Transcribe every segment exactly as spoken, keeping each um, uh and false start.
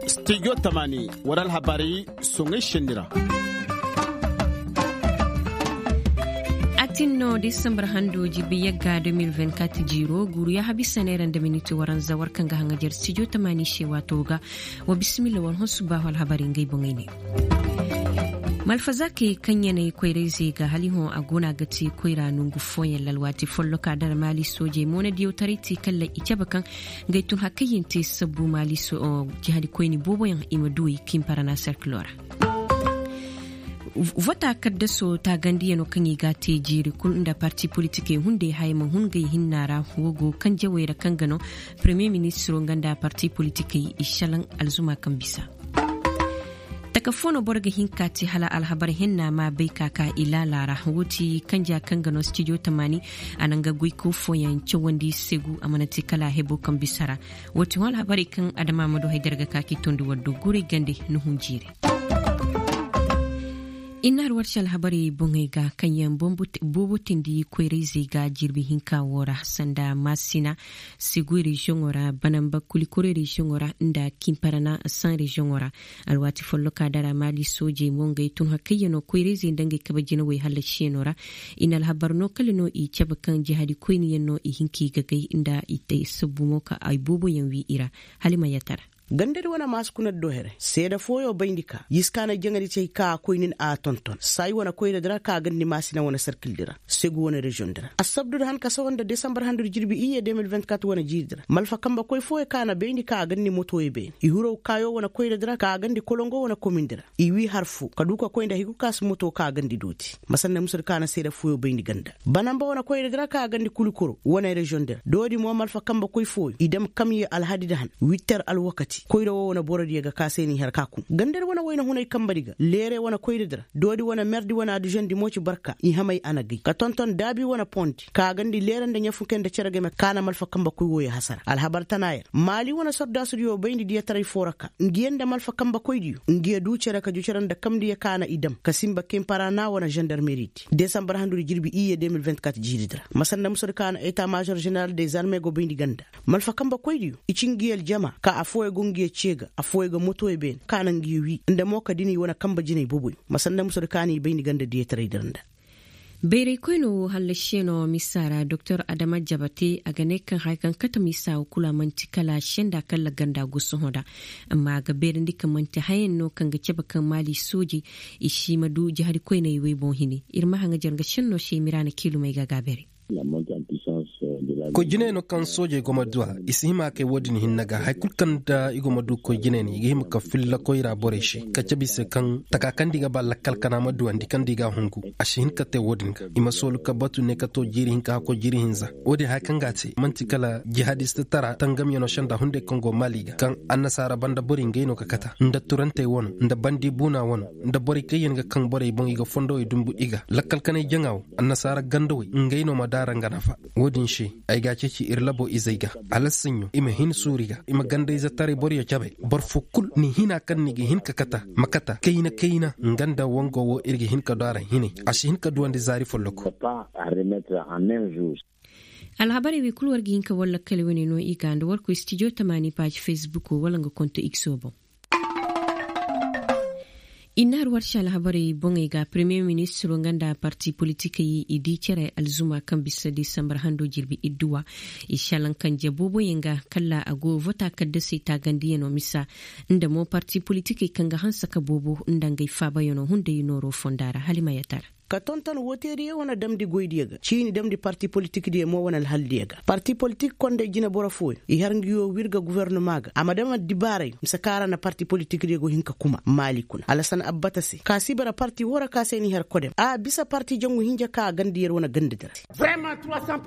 Stijo tamaani war alhabarey soŋay senni ra. Atin no disambar hando jirbi yagga deux mille vingt-quatre jiiro guuru ya habisa neera nda miniti waranza war kaŋ ga haŋajer stijo tamaani se waato ga. Wa bisimilla war hõ subbaahu alhabarey ngey boŋey ne. Malfazaakey kaŋ ya na i koyrayzey ga hala i hõ a go no a ga te koyra nongu fooyaŋ ra alwaati folloka dara maali soojey moonadiyo taray te kalla i cabe kaŋ ga ay tun hakayyaŋ te sabbu maali jihadi koyni booboyaŋ i ma du i kiimparana serkilo ra. Vota kaddaso taagandiyano kaŋ i ga a te jiiri kul nda parti politikey hunday haya ma hun gay hinna ra. Wo go kaŋ jawey ra kaŋ ga no paremiye ministiro nga nda parti politikey i šalaŋ alzuma kaŋ bisa. Taka fo no boro ga hin ka te hala alhabar henna ma bay ka ka i laala ra. Wo ti kanja kaŋ ga no stijo tamaani a na nga goyko fooyaŋ cawandi segu a mana te kala hebo kaŋ bisa ra. Wo ti hõ alhabarey kaŋ adama ma du haydar ga ka k'i tondi war do guuray gande ni hun jiiri. Inna har warci alhabarey boŋey ga kaŋ yaŋ boobo tindi koyrayzey ga jirbi hinka wo ra sanda maasina, segu reziyoŋo ra banamba kulikoro reziyoŋo ra nda kimparana san reziyoŋo ra. Alwaati folloka dara maali soojey mo ngey tun hakayyaŋo koyrayzey nda ngey kabe jinawey hallasiyano ra. I na alhabar no kala no i cabe kaŋ jihadi koyniyaŋ no i hin ka i gagay nda i te sabbu mo ka ay booboyaŋ wi i ra. Hala i ma yatara. Gandadi wane maasi kuna do here seeda fooyo bayndi ka y'i si ka na jaŋadi cay ka koynin a tonton saayi wane koyradi ra ka gandi maasina wane sarkildi ra. Segu wane reziyoŋdi ra assabdudi han ka sawa nda desambar handudi jirbi iyye deux mille vingt-quatre wane jiiridi ra malfa kambe koy fooyo ka na bayndi ka gandi motoyo beene i hirow kaayo wane koyradi ra ka gandi kolongo wane komindi ra. I wii har foo ka du ka koy nda hay kul ka si moto ka gandi dooti. Ma sanda musudi ka na seeda fooyo bayndi ganda banamba wane koyradi ra ka gandi kulikoro wane reziyoŋdi ra doodi mo malfa kambe koy fooyo i dam kamye alhadidi han witter alwakati koyra woo wane borodiyo ga ka se n'i har ka kun gandadi wane wayna hunay kambedi ga leere wane koyradi ra doodi wane merdi wane aduzondi mo ci barka i hamay a na gay ka tonton daabi wane pondi ka gandi leere nda ɲafunkey nda cere game ka na malfa kambe koy wooyo hasara alhabar tana yer maali wane sordaasudiyo bayndi diyataray foo ra ka ngiyaŋ nda malfa kambe koydiyo ngiya duu cere ka ju cere nda kamdiyo ka na i dam ka sinba kimpara na wane zandarmeridi desambar handudi jirbi iyye deux mille vingt-quatre jiiridi ra ma sanda musudi ka na eta maazor zeneral de zarme go bayndi ganda malfa kambe koydiyo i ci ngiya aljama ka affooyo go ngiya cee ga affooyo ga motoyo beene ka na ngiya wii nda mo ka dini wane kambe jinay boboyo ma sanda musudi ka na i bayndi ganda diyataraydi ra nda. Bayray koyno wo hallasiyaŋo misa ra doktor adama jabate a ga ne kaŋ haya kaŋ kate misa wo kulu a man'ti kala senda kalla ganda go sohõ da. Amma a ga beerandi kaŋ man'ti hayaŋ no kaŋ ga cabe kaŋ maali soojey i si ma du jahadi koyney wey boŋ hini ir ma haŋajer nga senno se miraana kiilumey ga a gaabeeray. Koy jiney no kaŋ soojey go ma du a i si hima kay wo-din hinne ga hari kulu kaŋ nda i go ma du koy jiney no i ga hima ka filla koyra borey se ka cabe i se kaŋ taka kaŋ nda i ga ba lakkal kana ma duwandi kaŋ nda i ga a hungu a si hin ka te wo-din ga i ma soolu ka batu ne ka to jiiri hinka hakkoy jiiri hinza. Wo-din hari kaŋ ga a te man'ti kala jihadista tara tangamyano senda hunday kaŋ go maali ga kaŋ annasaara banda borey ngey no ka kata nda turantey wano nda bandi buuna wano nda borey kaŋ yaŋ ga kaŋ borey boŋ i ga fondowey dumbu i ga lakkal kanay jaŋa wo annasaara gandawey ngey no ma daara nga nafa. Wo-din se ay ga a ceeci ir labo izey ga hala saɲɲo i ma hin suuri ga i ma gandayze taray boroyo cabe boro fo kul ni hina kaŋ ni ga hin ka kata ma kata kayna kayna nga nda wango wo ir ga hin ka du a ra hinay a si hin ka duwandi zaari folloko. Alhabarey wey kul war ga hin ka war lakkal wane no i ga nda war koy stijo tamaani paaji fesbuko wala nga konto ikso boŋ. Inna har warsi alhabarey boŋey ga premiye ministiro nga nda parti politikey i di cere alzuma kaŋ bisa desambar hando jirbi idduwa. I salaŋ kaŋ je booboyaŋ ga kalla a go vota kaddasey taagandiyano misa nda mo parti politikey kaŋ ga hanse ka boobo nda ngey faabayano hunday nooro fonda ra hala i ma yatara. Ka tonton wooteeriyo wane damndi goydiyo ga ciini damndi parti politikdiyo mo wane alhaldiyo ga parti politik konday jineboro fooyo i har nguyo wirga gofornoma ga a ma dam addibaaray mise kaŋ a ra na parti politikdiyo go hin ka kuma maali kuna alasan abbata se ka si bara parti woo ra ka se n'i har kodem a bisa parti jangu hinja kaŋ a ganda yer wane gandadi ra.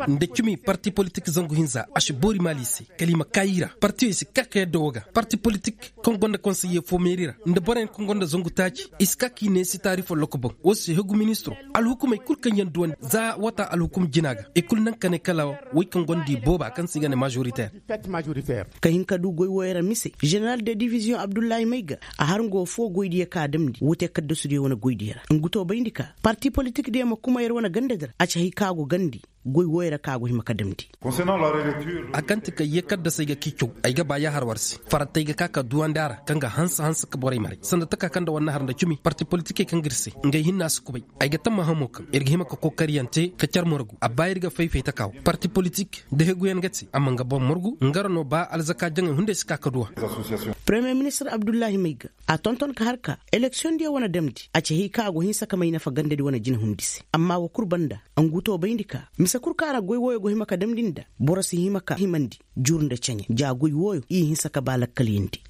Nda cimi parti politik zangu hinza a si boori maali se kala i ma kaayi ra partiyey si ka ka yadda woo ga parti politik kaŋ gonda konseye fo meeri ra nda boroyaŋ kaŋ gonda zangu taaci i si ka k'i neesi taari folloko boŋ. Woo se hegu ministiro alhukumey kul kaŋ yaŋ duwandi za wata alhukum jina ga i kul naŋ ka ne kala wey kaŋ gonda i booba kaŋ se i ga ne majoriter. Ka hin ka du goy wooyo ra mise zeneral de diviziyoŋ abdullahi mayga a har nga woo foo goydiyo ka damndi woo te kaddasudiyo wane goydiyo ra ngu too bayndi ka parti politikdiyo ma kuma yer wane gandadi ra a ci hay kaŋ a go gandi. goy wooyo ra kaŋ a go hima ka damndi. A kaŋ ti ka yee kaddasey ga k'i caw ay ga ba yaahar war se farattey ga ka ka duwandi a ra kaŋ ga hanse hanse ka borey maray sanda taka kaŋ nda war na har nda cimi parti politikey kaŋ ga ir se ngey hinna si kubay. Ay ga tamma hamo kaŋ ir ga hima ka kookariyaŋ te ka car morgu a ba ir ga fay-fay taka wo parti politik da heguyaŋ ga te amma nga boro morgu nga ra no ba alzaka jaŋey hunday si ka ka duw'a. Paremiye ministir abdullahi may ga a tonton ka har ka eleksiyoŋ diyaŋ wane damndi a ci hay kaŋ a go hinsa ka may nafa gandadi wane jinahundi se amma wa kul banda. Anguto bayndi ka mise kul kaŋ a na goy wooyo go hima ka damndi nda boro si hima ka himandi jur nda ceɲe ja goy wooyo i hinsa ka ba lakkalyandi.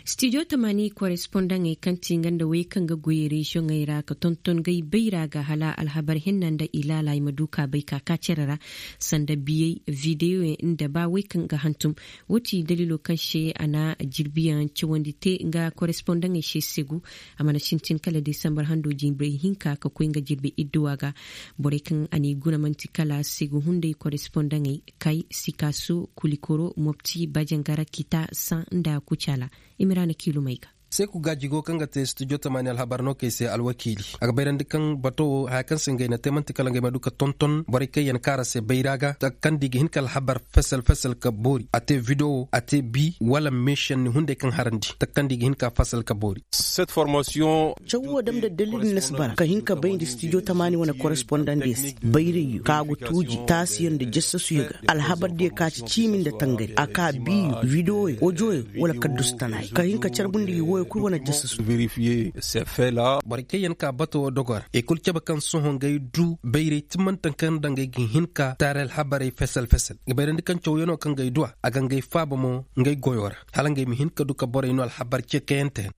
Stijo tamaani korespondaŋey kaŋ ti nga nda wey kaŋ ga goy reziyoŋey ra ka tonton gay bayra ga hala alhabar hinna nda ilaala i ma du ka bay ka ka cere ra sanda biyey videyoyaŋ nda ba wey kaŋ ga hantum. Wo ti daliilo kaŋ se a na jirbiyaŋ cawandi te nga korespondaŋey se segu. A mana sintin kala desambar hando jinbey hinka ka koy nga jirbi idduwa ga. Borey kaŋ a n'i guna man'ti kala segu hunday korespondaŋey kay sikaso kulikoro mopti bajangara kita san nda kucala. Imiraana kiilumey ga. Seku gaaji go kaŋ ga te studio tamaani alhabar no kay se alwakiili a ga bayrandi kaŋ bato wo haya kaŋ se ngey na te man'ti kala ngey ma du ka tonton borey kaŋ yaŋ kaara se bayra ga taka kaŋ da i ga hin ka alhabar fesel fesel ka boori a te video a te bi wala meesenni hunday kaŋ harandi taka kaŋ da i ga hin ka fesel ka boori. Caw wo dam nda dalil na si bara ka hin ka bayndi stijo tamaani wane korespondandiyo se bayrayyo kaŋ a go tuuji taasiyo nda jasasuyo ga alhabardiyo ka ci ciimi nda tangari a ka biiyo widewoyo ojoyo wala kaddusu tanaayo ka hin ka carbundi i woyo kul wane jasasu. Borey kaŋ yaŋ ka bato wo dogo ra i kul cabe kaŋ sohõ ngey du bayray timantaŋ kaŋ nda ngey ga hin ka taari alhabarey fesel fesel ga bayrandi kaŋ cawyanoo kaŋ ngey du a a ga ngey faaba mo ngey goyoo ra hala ngey ma hin ka du ka borey no alhabar ce kayante.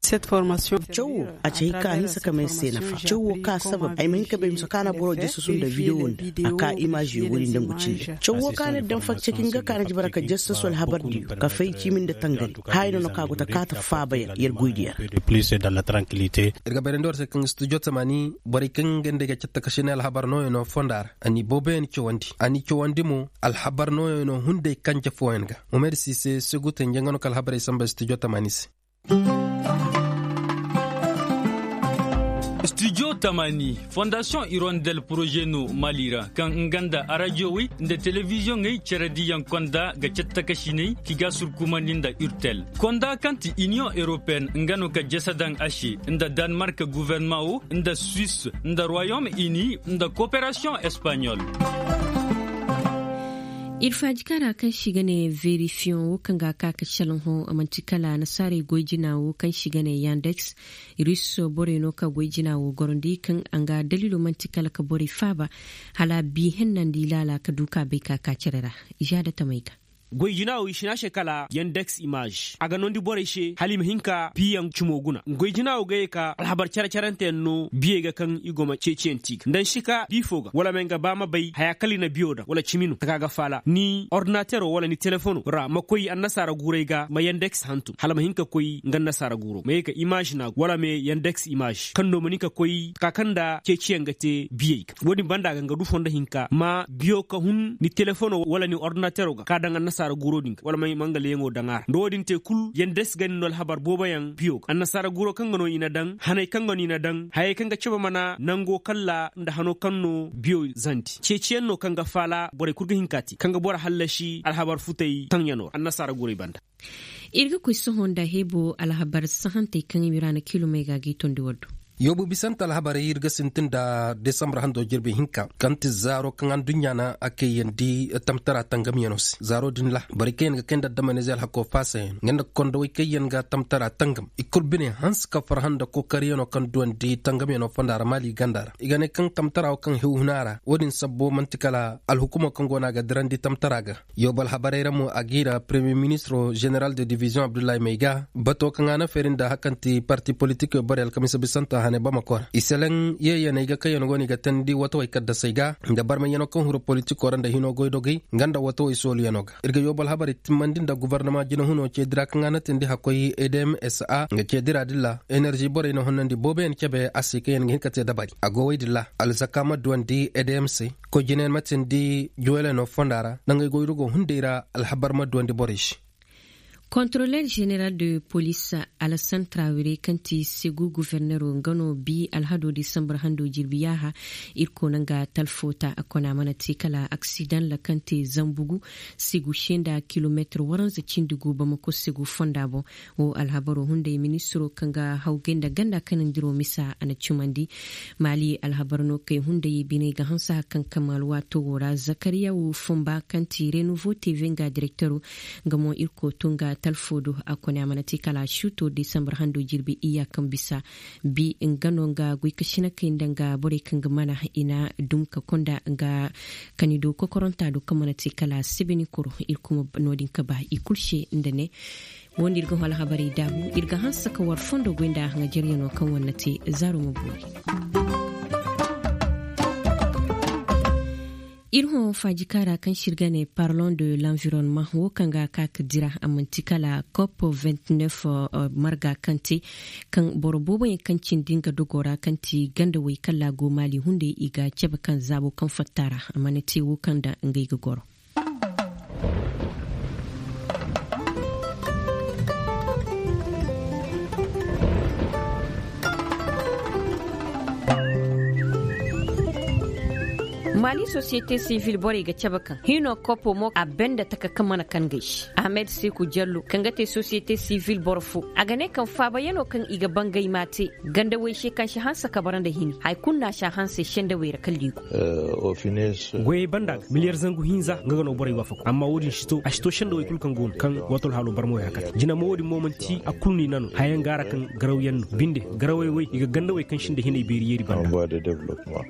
Caw wo a ci hay ka a hinsa ka may se nafa caw wo ka sabab ay ma hin ka bay mise ka na boro jasasu nda videwo nda a ka imaaziyo woodi nda ngu cille caw wo ka na daŋ facce ka hin ga ka na jibara ka jasasu alhabardiyo ka fay ciimi nda tangari haya no no ka go ta kaata faaba yer yer goydiyo ra. Ir ga bayrandi war se kaŋ studio tamaani borey kaŋ nga nda ay ga catta ka sinay alhabar nooyaŋo fonda ra a n'i booboyaŋ cawandi a n'i cawandi mo alhabar nooyaŋo hunday kanje fooyaŋ ga. Umer siise segutanje nga no ka alhabarey samba studio tamaani se. Studio tamaani fondasiyoŋ irondel poroze no maali ra kaŋ nga nda arajowey nda telebiziyoŋey cere diyaŋ konda ga cattakasiney ki ga surkumandi nda urtel konda kaŋ ti iniyoŋ europeen nga no ka jese daŋ a se nda danmark guwernama wo nda suis nda royom ini nda koperasiyoŋ espaɲol. Ir faaji kaŋ ra kaŋ se i ga ne verifiyoŋ wo kaŋ ga a ka ka shalŋo a man'ti kala nasaarey goy jina wo kaŋ se i ga ne yandeks. Rus borey no ka goy jina wo gorandi kaŋ a nga daliilo man'ti kala ka borey faaba hala bi hennandi laala ka du ka bay ka ka cere ra. Izaada tamey ga. Goy jina wo i si ne a se kala yandeks imaz a ga noondi borey se hala i ma hin ka biyaŋ cumo guna goy jina wo ga ye ka alhabar cere-ceranteyaŋ no biyey ga kaŋ i go ma ceeciyaŋ ti i ga nda ni si ka bi fo ga wala ma nga ba ma bay haya kala i na biyo daŋ wala cimi no taka ga faala ni ordinatero wala ni telefono ra ma koy annasaara guuray ga ma yandeks hantum hala ma hin ka koy nga annasaara guuro ma ye ka imaz na wala ma yandeks imaz kaŋ no ma ni ka koy ka kaŋ nda ceeciyaŋ ga te biyey ga wo- din banda ga nga du fondo hinka ma biyo ka hun ni telefono wala ni ordinatero ga ka daŋ annasaara guuro din ga wala ma nga leeyaŋo daŋ a ra nda wo- din te kulu yandeks ga ni no alhabar booboyaŋ biyo ga annasaara guuro kaŋ ga no i na daŋ haney kaŋ ga no i na daŋ hayey kaŋ ga cabe mana nango kalla nda hano kaŋ no biyo zandi ceeciyaŋ no kaŋ ga faala borey kulu ga hin ka te kaŋ ga boro hallasi alhabar futey taŋyanoo ra annasaara guurey banda. Ir ga koy sohõ nda heebo alhabar sahantey kaŋ i ma iraana kiilumey ga g'i tondi war do. Yoobu bisante alhabarey ir ga sintin nda desambar hando jirbi hinka kaŋ ti zaaro kaŋ adduɲɲa na a kayandi tamtara tangamyanoo se zaaro din ra borey kaŋ yaŋ ga kay nda addamanizey alhakoo faasayaŋ nga nda kondowey kaŋ yaŋ ga tamtara tangam i kul bine hanse ka farhã nda kookaryanoo kaŋ duwandi tangamyanoo fonda ra maali ganda ra i ga ne kaŋ tamtara wo kaŋ hewhuna ra wo- din sabbo man'ti kala alhukumoo kaŋ go no a ga dirandi tamtara ga. Yoobu alhabarey ra mo a g'i ra premiyer ministiro ženeral de diviziyoŋ abdullahi mayga bato kaŋ a na feeri nda hari kaŋ ti parti politikey borey alkamiisa bisanta hane bamako ra i seleŋ yeeyaney ga kaŋ yaŋ go no i ga teendi watawey kaddasey ga nda barmayyanoo kaŋ huru politikoo ra nda hinoo goydogey nga nda watawey sooluyanoo ga ir ga yoobu alhabarey timmandi nda gobornama jinahunoo ceedi ra kaŋ a na teendi hakkoy edmsa nga ceedi ra din ra enerži borey na honnandi booboyaŋ cebe a se kaŋ yaŋ ga hin ka te dabari a go wey din ra alzaka ma duwandi edm se koy jinayaŋ ma teendi juweleno fonda ra nda ngey goydogoo hunday ra alhabar ma duwandi borey se. Kontroler jeneral de polis, alasan trawire kaŋ ti segu gofornero nga no bi alhado disambar hando jirbi yaaha. Irko na nga talfo ta a kona mana te kala aksidan ra kaŋ te zambugu segu senda kilometir waranza cindi gu bamako segu fonda boŋ. Wo alhabaro hunday ministiro kaŋ ga hawgay nda ganda kanandiro misa a na cumandi. Maali alhabar no kay hunday biney ga hanse hari kaŋ kamal waato wo ra zakariya wo fumba kaŋ ti renouveau tv nga direktero. Nga mo irko to nga talfo do a kone a mana te kala a suuto desambar hando jirbi iyya kaŋ bisa bi nga no nga goy ka sina kay nda nga borey kaŋ ga mana i na dum ka konda nga kani do kokoronta do kaŋ mana te kala a sibini koro. Irko ma no- din ka ba i kulu se nda ne. Wo nda ir ga hol habarey daabu ir ga hanse ka war fondo goy nda haŋajaryanoo kaŋ war na te zaaro ma boori. Ir hõ faajika ra kaŋ se ir ga ne parlon de l'environnement wo kaŋ ga a ka ka dira a man'ti kala cop vingt-neuf marga kaŋ te kaŋ boro booboyaŋ kaŋ cindi nga dogo ra kaŋ ti gandawey kaŋ laago maali hunday i ga cabe kaŋ zaabo kaŋ fatta ra a mana te wo kaŋ nda ngey ga goro. Maali sosiyete sivil borey ga cabe kaŋ hino kopo mo a benda taka kaŋ mana kaŋ gay se ahmed seku jallo kaŋ ga te sosiyete sivil boro fo a ga ne kaŋ faabayanoo kaŋ i ga bangay m'a te gandawey se kaŋ si hanse ka bara nda hini hari kulu no a si a hanse sendawey ra kala i go. Goyey banda ga miliyar zangu hinza nga ga no borey waafaku amma wo-din si to a si to sendawey kulu kaŋ go no kaŋ wato alhaalo barmawey ra kate jina mo wo-din mo man'ti a kulu no i na no hayaŋ ga a ra kaŋ garawyaŋ no binde garawey wey i ga gandawey kaŋ sinda hinay beeri yeeri banda.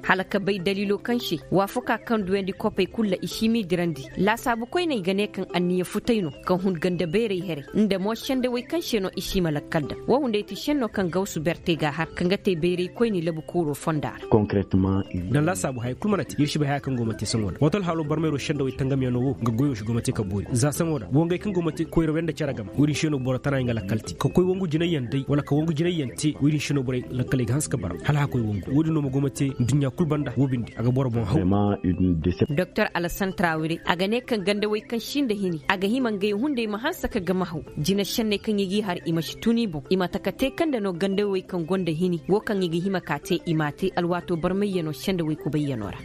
Hala ka bay daliilo kaŋ se waafakaa kaŋ duyandi kopey kulu ra i si m'i dirandi laasaabu koyney ga ne kaŋ anniya futay no kaŋ hun ganda beerey herey nda mo sendawey kaŋ se no i si ma lakkal daŋ wo hunday ti senno kaŋ gawsu berte ga a har kaŋ ga te beerey koyney labu kuuroo fonda ra. Daŋ laasaabu haya kulu mana te ir si bay haya kaŋ go ma te saŋo da wato alhaalo barmayro sendawey tangamyaŋo wo nga goyo si go ma te ka boori za saŋo da wangey kaŋ go ma te koyrawey nda cere game wo-din se no boro tanayaŋ ga lakkal te ka koy wangu jinayyaŋ day wala ka wangu jinayyaŋ te wo-din se no borey lakkaley ga hanse ka bara hala a koy wangu wo-din no ma go ma te nduɲɲa kulu banda wo binde a ga boro boŋ haw. Doktor alasan trawire a ga ne kaŋ gandawey kaŋ si nda hini a ga hima ngey hunday ma hanse ka game haw jina senney kaŋ i g'i har i ma si tun i boŋ i ma taka te kaŋ nda no gandawey kaŋ gonda hini wo kaŋ i ga hima k'a te i m'a te alwaato barmayyanoo sendawey kubayyanoo ra.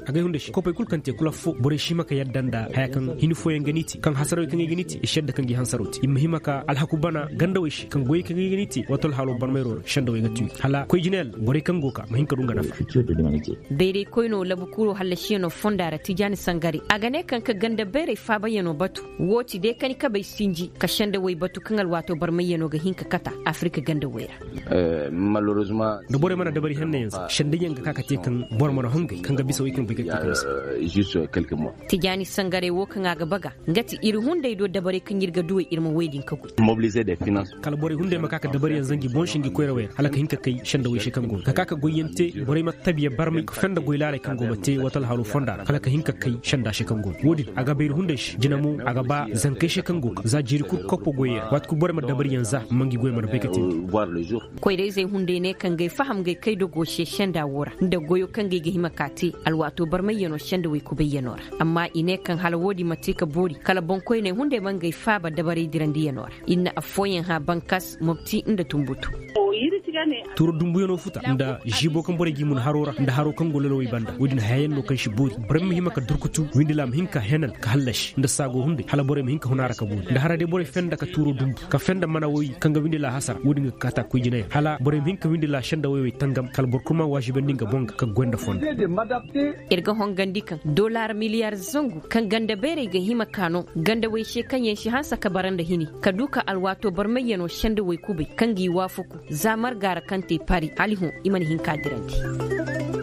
Agay hunday se kopey kulu kaŋ te kulu affo borey si hima ka yadda nda haya kaŋ hini fooyaŋ ga n'i te kaŋ hasarawey kaŋ ay ga n'i te i si yadda kaŋ gi hansaraw te i ma hima ka alhaku bana gandawey se kaŋ goyey kaŋ ay ga n'i te wato alhaalo barmayroo ra sendawey ga tuyi hala koy jinayaŋ borey kaŋ go ka ma hin ka du nga nafa. Bayray koynoo labu kuuroo hallasiyanoo fonda ra tijaani sangare a ga ne kaŋ ka ganda bayray faabayanoo batu woo ti day kani kabey sinji ka sendawey batu kaŋ alwaatoo barmayyanoo ga hin ka kata afirika gandawey ra. Da borey mana dabari hennayaŋ za sendayyaŋ ga ka ka te kaŋ boro mana hongay kaŋ ga bisa wey kaŋ bay ga te ka bisa. Tijaani sangarey woo kaŋ a ga baga nga ti ir hunday do dabarey kaŋ ir ga duwey ir ma wey din ka goy. Kala borey hunday ma ka ka dabariyaŋ zanji boŋ se ngi koyrawey ra hala ka hin ka kay sendawey se kaŋ go no ka ka ka goyyaŋ te borey ma tabiya barmay ka fenda goy laaley kaŋ go ma te wato alhaaloo fonda ra hala ka hin ka kay senda se kaŋ go no woo din a ga bay ir hunday se jina mo a ga ba zankey se kaŋ go ka za jiiri kul koppo goyey ra waati kul borey ma dabariyaŋ za ma ngi goy mana bay ka te. Koyra-izey hunday ne kaŋ gay faham gay kay dogo se senda woo ra nda goyo kaŋ gay ga hima ka te alwaatoo barmayyanoo sendawey kubayyanoo ra. Amma i ne kaŋ hala woodin ma te ka boori kala boŋkoyney hunday ma ngey faaba dabaray dirandiyanoo ra. Ir na affooyaŋ hã bankas mopti nda tunbutu. Tuuro dumbuyanoo futa nda ziiboo kaŋ borey g'i mun haroo ra nda haroo kaŋ go lolowey banda woodin hayayaŋ no kaŋ si boori borey ma hima ka durkutu windila ma hin ka henan ka hallasi nda saago hunday hala borey ma hin ka hun a ra ka boori nda hara day borey fenda ka tuuro dumbu ka fenda mana woy kaŋ ga windila hasara woodin ga kaata koy jinayaŋ hala borey ma hin ka windila sendawey wey tangam kala boro kul ma waazibandi nga boŋ ga ka goy nda fondo. Ir ga hongandi kaŋ dolaar miliyar zangu kaŋ ganda beerey ga hima ka no gandawey se kaŋ yaŋ si hanse ka bara nda hini ka du ka alwaatoo barmayyanoo sendawey kubay kaŋ g'i waafaku za marga ra kaŋ te pari hala i hõ i mana hin ka dirandi.